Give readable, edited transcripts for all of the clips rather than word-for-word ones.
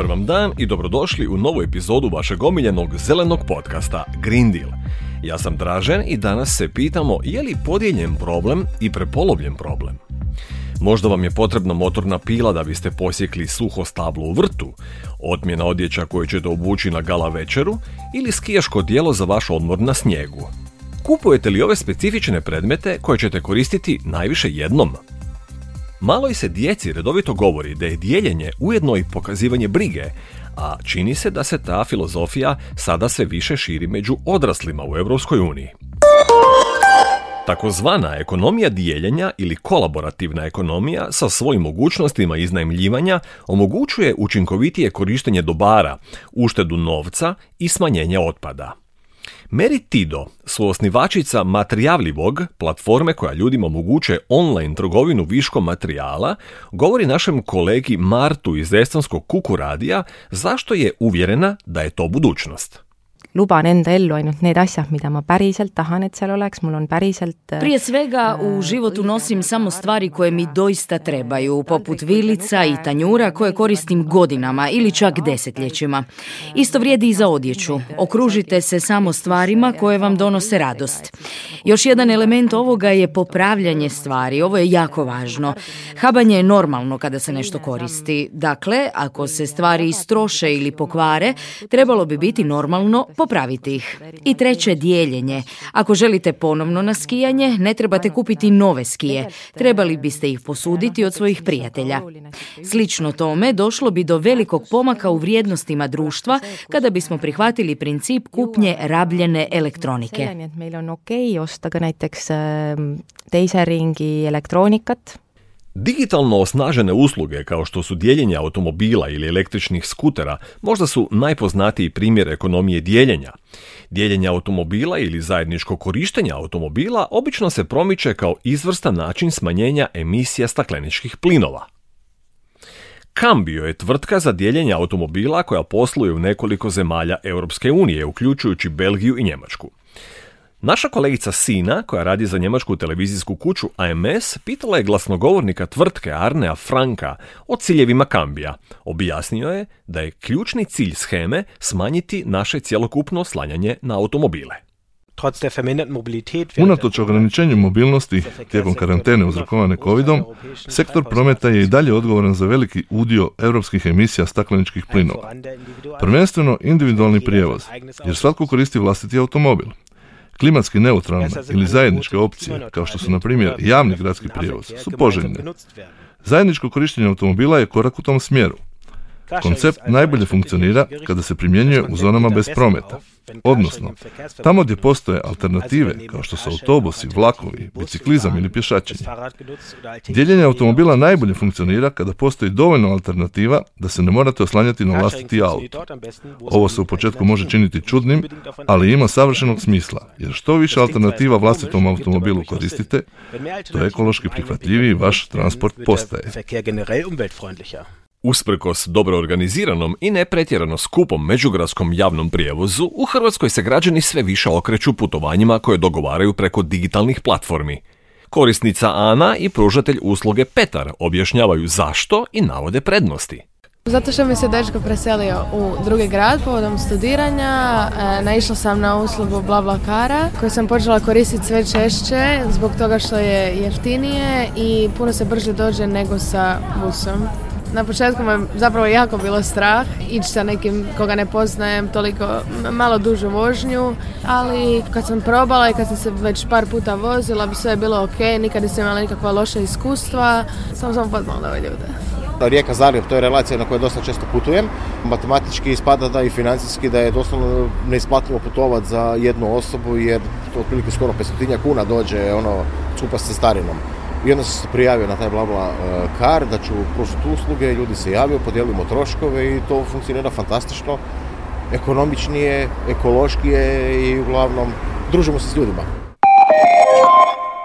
Dobar vam dan i dobrodošli u novu epizodu vašeg omiljenog zelenog podcasta Green Deal. Ja sam Dražen i danas se pitamo je li podijeljen problem i prepolovljen problem. Možda vam je potrebna motorna pila da biste posjekli suho stablo u vrtu, otmjena odjeća koju ćete obući na gala večeru ili skijaško odijelo za vaš odmor na snijegu. Kupujete li ove specifične predmete koje ćete koristiti najviše jednom? Maloj se djeci redovito govori da je dijeljenje ujedno i pokazivanje brige, a čini se da se ta filozofija sada sve više širi među odraslima u Europskoj uniji. Takozvana ekonomija dijeljenja ili kolaborativna ekonomija sa svojim mogućnostima iznajmljivanja omogućuje učinkovitije korištenje dobara, uštedu novca i smanjenje otpada. Mary Tido, suosnivačica Matrijavljivog, platforme koja ljudima omogućuje online trgovinu viškom materijala, govori našem kolegi Martu iz estonskog Kuku radija zašto je uvjerena da je to budućnost. Luban enda ellu ainult need asjad, mida ma päriselt tahan, et seal oleks. Mul on päriselt... Prije svega u životu nosim samo stvari koje mi doista trebaju, poput vilica i tanjura koje koristim godinama ili čak desetljećima. Isto vrijedi i za odjeću. Okružite se samo stvarima koje vam donose radost. Još jedan element ovoga je popravljanje stvari. Ovo je jako važno. Habanje je normalno kada se nešto koristi. Dakle, ako se stvari istroše ili pokvare, trebalo bi biti normalno popraviti ih. I treće, dijeljenje. Ako želite ponovno na skijanje, ne trebate kupiti nove skije. Trebali biste ih posuditi od svojih prijatelja. Slično tome, došlo bi do velikog pomaka u vrijednostima društva kada bismo prihvatili princip kupnje rabljene elektronike. Meil on okei osta ka näiteks teise ringi elektroonikat. Digitalno osnažene usluge kao što su dijeljenje automobila ili električnih skutera možda su najpoznatiji primjer ekonomije dijeljenja. Dijeljenje automobila ili zajedničko korištenje automobila obično se promiče kao izvrstan način smanjenja emisija stakleničkih plinova. Cambio je tvrtka za dijeljenje automobila koja posluje u nekoliko zemalja Europske unije, uključujući Belgiju i Njemačku. Naša kolegica Sina, koja radi za njemačku televizijsku kuću AMS, pitala je glasnogovornika tvrtke Arnea Franka o ciljevima Cambia. Objasnio je da je ključni cilj sheme smanjiti naše cjelokupno oslanjanje na automobile. Unatoč ograničenju mobilnosti tijekom karantene uzrokovane covidom, sektor prometa je i dalje odgovoran za veliki udio europskih emisija stakleničkih plinova. Prvenstveno individualni prijevoz, jer svatko koristi vlastiti automobil. Klimatski neutralne ili zajedničke opcije, kao što su na primjer javni gradski prijevoz, su poželjne. Zajedničko korištenje automobila je korak u tom smjeru. Koncept najbolje funkcionira kada se primjenjuje u zonama bez prometa. Odnosno, tamo gdje postoje alternative, kao što su autobusi, vlakovi, biciklizam ili pješačenje. Dijeljenje automobila najbolje funkcionira kada postoji dovoljno alternativa da se ne morate oslanjati na vlastiti auto. Ovo se u početku može činiti čudnim, ali ima savršenog smisla, jer što više alternativa vlastitom automobilu koristite, to ekološki prihvatljiviji vaš transport postaje. Usprkos dobro organiziranom i ne pretjerano skupom međugradskom javnom prijevozu, u Hrvatskoj se građani sve više okreću putovanjima koje dogovaraju preko digitalnih platformi. Korisnica Ana i pružatelj usluge Petar objašnjavaju zašto i navode prednosti. Zato što mi se dečko preselio u drugi grad povodom studiranja, naišla sam na uslugu BlaBlaCara koju sam počela koristiti sve češće zbog toga što je jeftinije i puno se brže dođe nego sa busom. Na početku me zapravo jako bilo strah ići sa nekim koga ne poznajem toliko malo dužu vožnju, ali kad sam probala i kad sam se već par puta vozila, sve je bilo ok, nikad nisam imala nikakva loša iskustva, samo sam upoznala ove ljude. Rijeka-Zagreb, to je relacija na kojoj dosta često putujem. Matematički ispada da i financijski da je doslovno neisplativo putovati za jednu osobu jer to otprilike skoro 500 kuna dođe skupa s cestarinom. I onda sam se prijavio na taj BlaBlaCar da ću pružiti usluge, ljudi se javio, podijelimo troškove i to funkcionira fantastično, ekonomičnije, ekološkije i uglavnom družimo se s ljudima.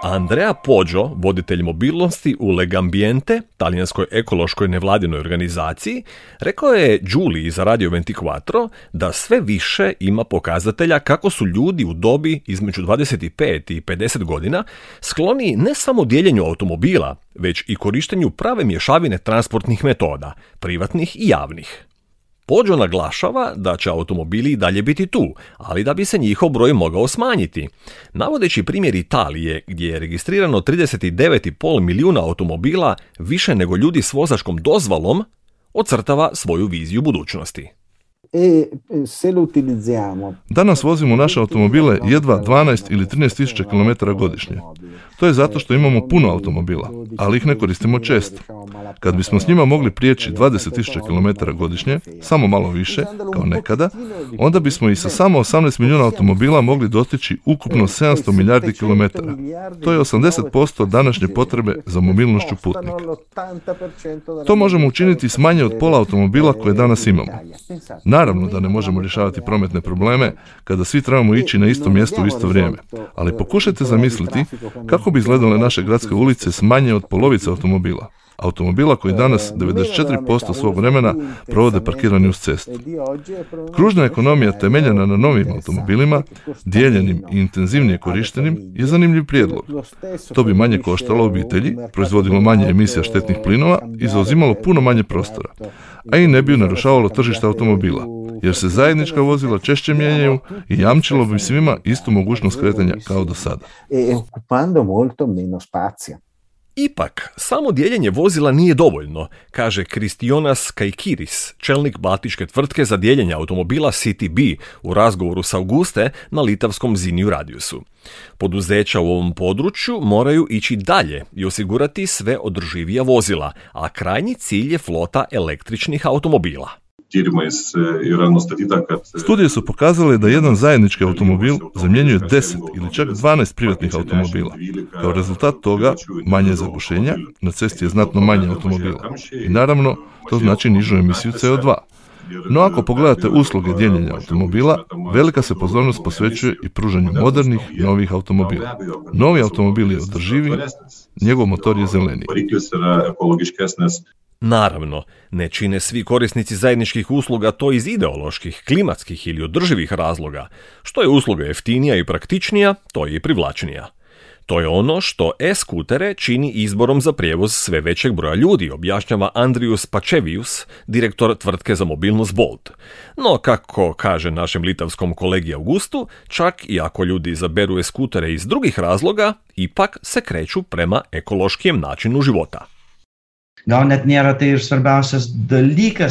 Andrea Poggio, voditelj mobilnosti u Legambiente, talijanskoj ekološkoj nevladinoj organizaciji, rekao je Giulii za Radio 24 da sve više ima pokazatelja kako su ljudi u dobi između 25 i 50 godina skloni ne samo dijeljenju automobila, već i korištenju prave mješavine transportnih metoda, privatnih i javnih. Poggio naglašava da će automobili i dalje biti tu, ali da bi se njihov broj mogao smanjiti. Navodeći primjer Italije, gdje je registrirano 39,5 milijuna automobila, više nego ljudi s vozačkom dozvolom, ocrtava svoju viziju budućnosti. Danas vozimo naše automobile jedva 12 ili 13 tisuća km godišnje. To je zato što imamo puno automobila, ali ih ne koristimo često. Kad bismo s njima mogli prijeći 20.000 km godišnje, samo malo više, kao nekada, onda bismo i sa samo 18 milijuna automobila mogli dostići ukupno 700 milijardi kilometara. To je 80% današnje potrebe za mobilnošću putnika. To možemo učiniti s manje od pola automobila koje danas imamo. Naravno da ne možemo rješavati prometne probleme kada svi trebamo ići na isto mjesto u isto vrijeme, ali pokušajte zamisliti kako bi izgledale naše gradske ulice s manje od polovice automobila. Automobila koji danas 94% svog vremena provode parkirani uz cestu. Kružna ekonomija temeljena na novim automobilima, dijeljenim i intenzivnije korištenim, je zanimljiv prijedlog. To bi manje koštalo obitelji, proizvodilo manje emisija štetnih plinova i zauzimalo puno manje prostora, a i ne bi narušavalo tržište automobila, jer se zajednička vozila češće mijenjaju i jamčilo bi svima istu mogućnost kretanja kao do sada. Ipak, samo dijeljenje vozila nije dovoljno, kaže Kristijonas Kaikiris, čelnik baltičke tvrtke za dijeljenje automobila CityB u razgovoru s Auguste na litavskom Ziniju Radiusu. Poduzeća u ovom području moraju ići dalje i osigurati sve održivija vozila, a krajnji cilj je flota električnih automobila. Studije su pokazale da jedan zajednički automobil zamjenjuje 10 ili čak 12 privatnih automobila. Kao rezultat toga, manje zagušenja, na cesti je znatno manje automobila. I naravno, to znači nižu emisiju CO2. No ako pogledate usluge dijeljenja automobila, velika se pozornost posvećuje i pružanju modernih, novih automobila. Novi automobil je održivi, njegov motor je zeleniji. Naravno, ne čine svi korisnici zajedničkih usluga to iz ideoloških, klimatskih ili održivih razloga. Što je usluga jeftinija i praktičnija, to je i privlačnija. To je ono što e-skutere čini izborom za prijevoz sve većeg broja ljudi, objašnjava Andrius Pačevius, direktor tvrtke za mobilnost Bolt. No, kako kaže našem litavskom kolegi Augustu, čak i ako ljudi izaberu e-skutere iz drugih razloga, ipak se kreću prema ekološkijem načinu života.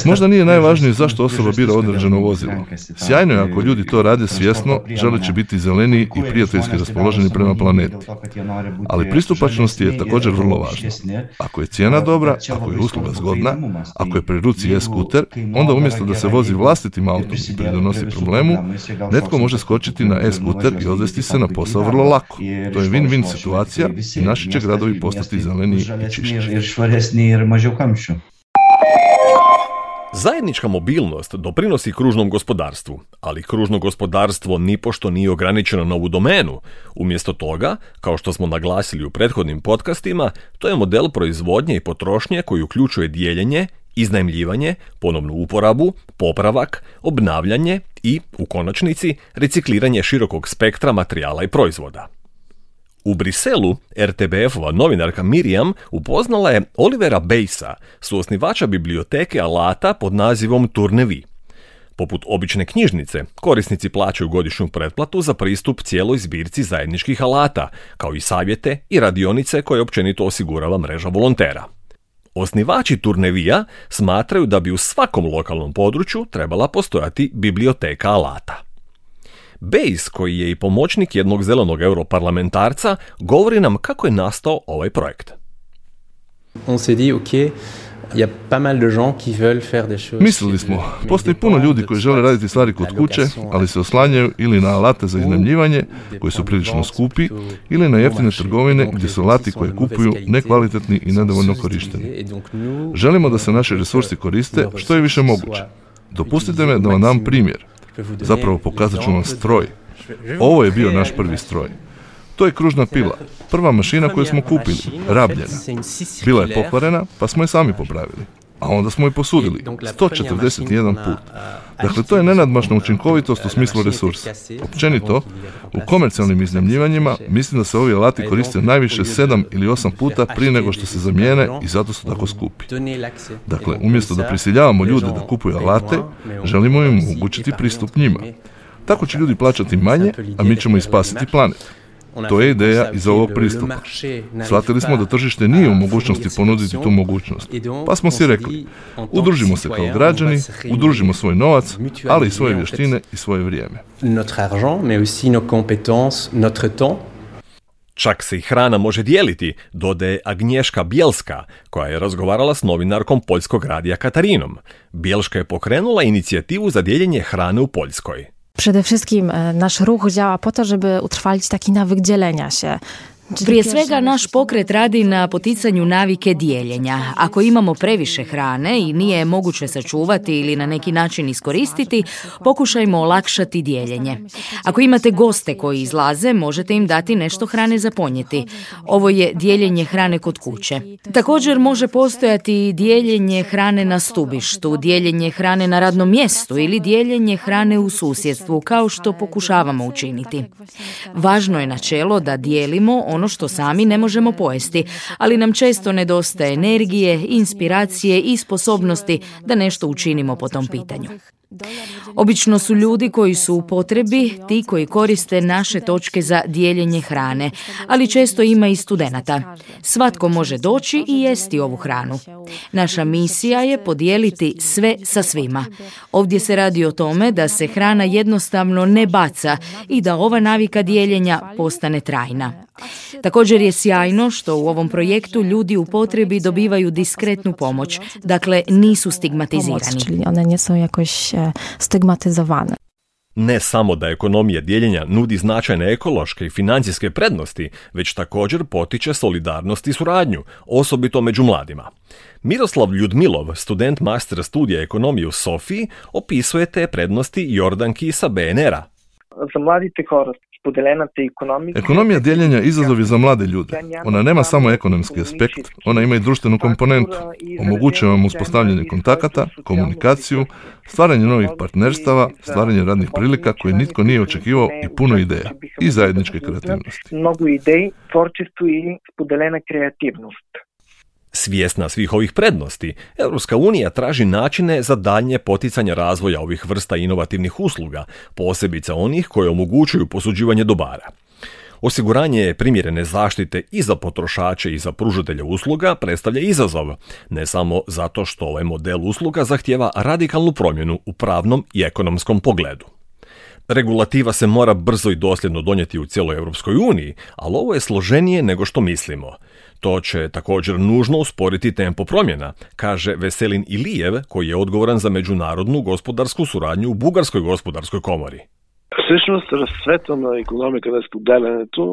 Možda nije najvažnije zašto osoba bira određeno vozilo. Sjajno je ako ljudi to rade svjesno, želeći biti zeleniji i prijateljski raspoloženi prema planeti. Ali pristupačnost je također vrlo važna. Ako je cijena dobra, ako je usluga zgodna, ako je pri ruci e-skuter, onda umjesto da se vozi vlastitim autom i pridonosi problemu, netko može skočiti na e-skuter i odvesti se na posao vrlo lako. To je win-win situacija i naši će gradovi postati zeleniji i čišći. Zajednička mobilnost doprinosi kružnom gospodarstvu, ali kružno gospodarstvo nipošto nije ograničeno na ovu domenu. Umjesto toga, kao što smo naglasili u prethodnim podcastima, to je model proizvodnje i potrošnje koji uključuje dijeljenje, iznajmljivanje, ponovnu uporabu, popravak, obnavljanje i, u konačnici, recikliranje širokog spektra materijala i proizvoda. U Briselu RTBF-ova novinarka Miriam upoznala je Olivera Bejsa, suosnivača biblioteke alata pod nazivom Turnevi. Poput obične knjižnice, korisnici plaćaju godišnju pretplatu za pristup cijeloj zbirci zajedničkih alata, kao i savjete i radionice koje općenito osigurava mreža volontera. Osnivači Turnevija smatraju da bi u svakom lokalnom području trebala postojati biblioteka alata. Bejs, koji je i pomoćnik jednog zelenog europarlamentarca, govori nam kako je nastao ovaj projekt. Mislili smo, postoji puno ljudi koji žele raditi stvari kod kuće, ali se oslanjaju ili na alate za iznajmljivanje, koji su prilično skupi, ili na jeftine trgovine gdje su alati koje kupuju nekvalitetni i nedovoljno korišteni. Želimo da se naši resursi koriste što je više moguće. Dopustite me da vam dam primjer. Zapravo pokazat ću vam stroj. Ovo je bio naš prvi stroj. To je kružna pila, prva mašina koju smo kupili, rabljena. Bila je pokvarena, pa smo je sami popravili. a onda smo i posudili 141 put. Dakle, to je nenadmašna učinkovitost u smislu resursa. Općenito, u komercijalnim iznajmljivanjima mislim da se ovi alati koriste najviše 7 ili 8 puta prije nego što se zamijene i zato su tako skupi. Dakle, umjesto da prisiljavamo ljude da kupuju alate, želimo im omogućiti pristup njima. Tako će ljudi plaćati manje, a mi ćemo i spasiti planet. To je ideja iz ovog pristupa. Shvatili smo da tržište nije u mogućnosti ponuditi tu mogućnost. Pa smo si rekli, udružimo se kao građani, udružimo svoj novac, ali i svoje vještine i svoje vrijeme. Čak se i hrana može dijeliti, dodaje Agnješka Bielska, koja je razgovarala s novinarkom poljskog radija Katarinom. Bielska je pokrenula inicijativu za dijeljenje hrane u Poljskoj. Przede wszystkim nasz ruch działa po to, żeby utrwalić taki nawyk dzielenia się. Prije svega, naš pokret radi na poticanju navike dijeljenja. Ako imamo previše hrane i nije je moguće sačuvati ili na neki način iskoristiti, pokušajmo olakšati dijeljenje. Ako imate goste koji izlaze, možete im dati nešto hrane za ponijeti. Ovo je dijeljenje hrane kod kuće. Također može postojati dijeljenje hrane na stubištu, dijeljenje hrane na radnom mjestu ili dijeljenje hrane u susjedstvu, kao što pokušavamo učiniti. Važno je načelo da dijelimo ono što sami ne možemo pojesti, ali nam često nedostaje energije, inspiracije i sposobnosti da nešto učinimo po tom pitanju. Obično su ljudi koji su u potrebi ti koji koriste naše točke za dijeljenje hrane, ali često ima i studenata. Svatko može doći i jesti ovu hranu. Naša misija je podijeliti sve sa svima. Ovdje se radi o tome da se hrana jednostavno ne baca i da ova navika dijeljenja postane trajna. Također je sjajno što u ovom projektu ljudi u potrebi dobivaju diskretnu pomoć, dakle nisu stigmatizirani. Czyli one nie są jakoś stygmatyzowane. Ne samo da ekonomija dijeljenja nudi značajne ekološke i financijske prednosti, već također potiče solidarnost i suradnju, osobito među mladima. Miroslav Ljudmilov, student master studija ekonomije u Sofiji, opisuje te prednosti Jordanki sa BNR-a. Za mladite hora. Ekonomija dijeljenja izazov je za mlade ljude. Ona nema samo ekonomski aspekt, ona ima i društvenu komponentu. Omogućuje vam uspostavljanje kontakata, komunikaciju, stvaranje novih partnerstava, stvaranje radnih prilika koje nitko nije očekivao i puno ideja i zajedničke kreativnosti. Mnogo idej, tvorčestvo i spodeljena kreativnost. Svjesna svih ovih prednosti, Europska unija traži načine za daljnje poticanje razvoja ovih vrsta inovativnih usluga, posebice onih koje omogućuju posuđivanje dobara. Osiguranje primjerene zaštite i za potrošače i za pružatelje usluga predstavlja izazov, ne samo zato što ovaj model usluga zahtijeva radikalnu promjenu u pravnom i ekonomskom pogledu. Regulativa se mora brzo i dosljedno donijeti u cijeloj Europskoj uniji, ali ovo je složenije nego što mislimo. To će također nužno usporiti tempo promjena, kaže Veselin Ilijev, koji je odgovoran za međunarodnu gospodarsku suradnju u Bugarskoj gospodarskoj komori.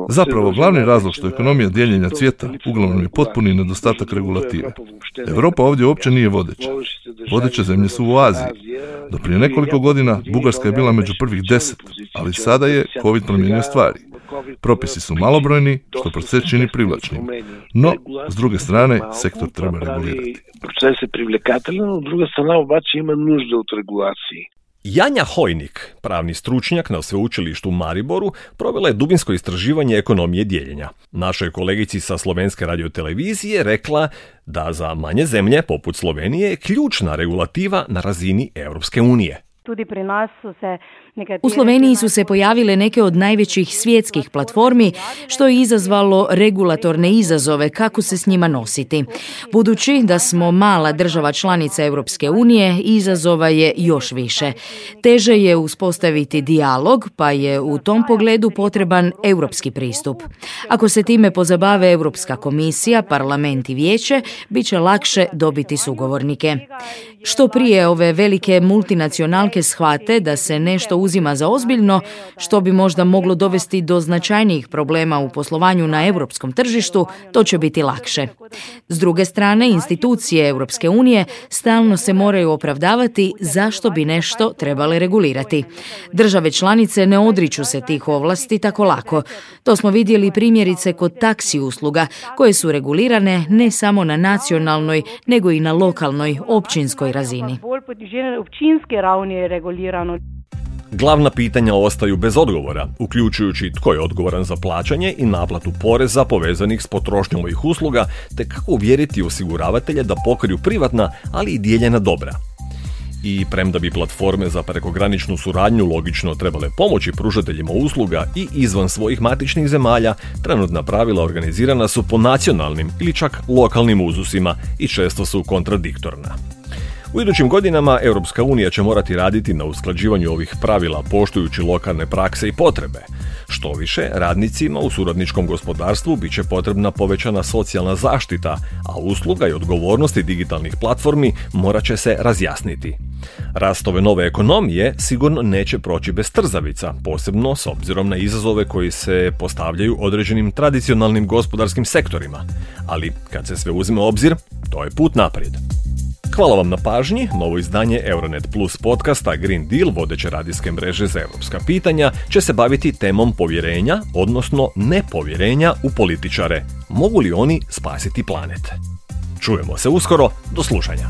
Zapravo, glavni razlog što ekonomija dijeljenja cvjeta uglavnom je potpuni nedostatak regulative. Europa ovdje uopće nije vodeća. Vodeće zemlje su u Aziji. Do prije nekoliko godina Bugarska je bila među prvih 10, ali sada je COVID promijenio stvari. Propisi su malobrojni, što proces čini privlačnim. No, s druge strane, sektor treba regulirati. Proces je privлекателен, но друга страна обаче има нужда от регулации. Janja Hojnik, pravni stručnjak na sveučilištu u Mariboru, provela je dubinsko istraživanje ekonomije dijeljenja. Našoj kolegici sa Slovenske radiotelevizije rekla da za manje zemlje, poput Slovenije, je ključna regulativa na razini Europske unije. U Sloveniji su se pojavile neke od najvećih svjetskih platformi, što je izazvalo regulatorne izazove kako se s njima nositi. Budući da smo mala država članica Europske unije, izazova je još više. Teže je uspostaviti dijalog, pa je u tom pogledu potreban europski pristup. Ako se time pozabave Europska komisija, parlament i vijeće, bit će lakše dobiti sugovornike. Što prije ove velike multinacionalke shvate da se nešto uzima za ozbiljno, što bi možda moglo dovesti do značajnijih problema u poslovanju na europskom tržištu, to će biti lakše. S druge strane, institucije Europske unije stalno se moraju opravdavati zašto bi nešto trebale regulirati. Države članice ne odriču se tih ovlasti tako lako. To smo vidjeli primjerice kod taksi usluga, koje su regulirane ne samo na nacionalnoj, nego i na lokalnoj, općinskoj razini. Glavna pitanja ostaju bez odgovora, uključujući tko je odgovoran za plaćanje i naplatu poreza povezanih s potrošnjom ovih usluga, te kako uvjeriti osiguravatelje da pokriju privatna, ali i dijeljena dobra. I premda bi platforme za prekograničnu suradnju logično trebale pomoći pružateljima usluga i izvan svojih matičnih zemalja, trenutna pravila organizirana su po nacionalnim ili čak lokalnim uzusima i često su kontradiktorna. U idućim godinama Europska unija će morati raditi na usklađivanju ovih pravila poštujući lokalne prakse i potrebe. Što više, radnicima u suradničkom gospodarstvu bit će potrebna povećana socijalna zaštita, a usluga i odgovornosti digitalnih platformi morat će se razjasniti. Rast ove nove ekonomije sigurno neće proći bez trzavica, posebno s obzirom na izazove koji se postavljaju određenim tradicionalnim gospodarskim sektorima. Ali kad se sve uzme u obzir, to je put naprijed. Hvala vam na pažnji. Novo izdanje Euronet Plus podcasta Green Deal, vodeće radijske mreže za europska pitanja, će se baviti temom povjerenja, odnosno nepovjerenja u političare. Mogu li oni spasiti planet? Čujemo se uskoro, do slušanja.